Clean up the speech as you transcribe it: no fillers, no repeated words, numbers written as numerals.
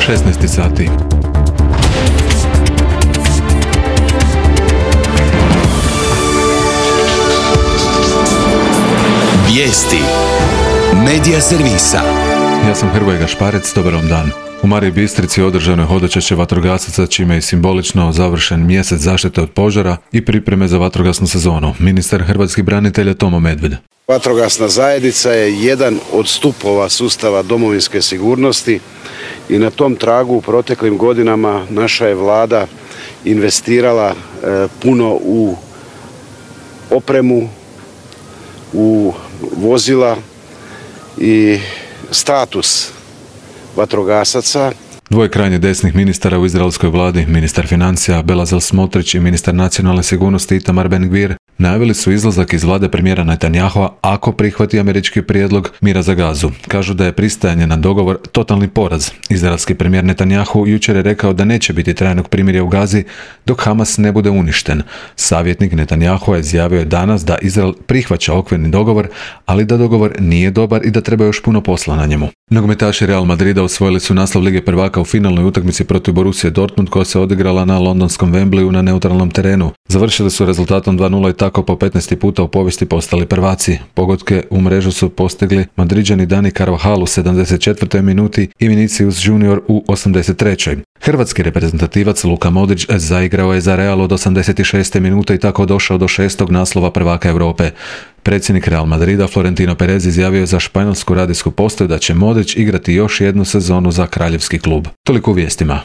16 sati. Vijesti Medija servisa. Ja sam Hrvoje Gašparec, dobar vam dan. U Mariji Bistrici održano je hodočašće vatrogasaca, čime je simbolično završen mjesec zaštite od požara i pripreme za vatrogasnu sezonu. Ministar hrvatskih branitelja Tomo Medved. Vatrogasna zajednica je jedan od stupova sustava domovinske sigurnosti i na tom tragu u proteklim godinama naša je vlada investirala puno u opremu, u vozila i status vatrogasaca. Dvoje krajnje desnih ministara u izraelskoj vladi, ministar financija Bezalel Smotrich i ministar nacionalne sigurnosti Itamar Ben-Gvir, najavili su izlazak iz vlade premijera Netanjahua ako prihvati američki prijedlog mira za Gazu. Kažu da je pristajanje na dogovor totalni poraz. Izraelski premijer Netanjahu jučer je rekao da neće biti trajnog primirja u Gazi dok Hamas ne bude uništen. Savjetnik Netanjahua izjavio je danas da Izrael prihvaća okvirni dogovor, ali da dogovor nije dobar i da treba još puno posla na njemu. Nogometaši Real Madrida osvojili su naslov Lige prvaka u finalnoj utakmici protiv Borussije Dortmund koja se odigrala na londonskom Wembleyu na neutralnom terenu. Završili su rezultatom 2:0 i tako po 15. puta u povijesti postali prvaci. Pogodke u mrežu su postigli Madriđani Dani Carvajal u 74. minuti i Vinicius Junior u 83. Hrvatski reprezentativac Luka Modrić zaigrao je za Real od 86. minute i tako došao do 6. naslova prvaka Europe. Predsjednik Real Madrida Florentino Perez izjavio je za španjolsku radijsku postaju da će Modrić igrati još jednu sezonu za kraljevski klub. Toliko u vijestima.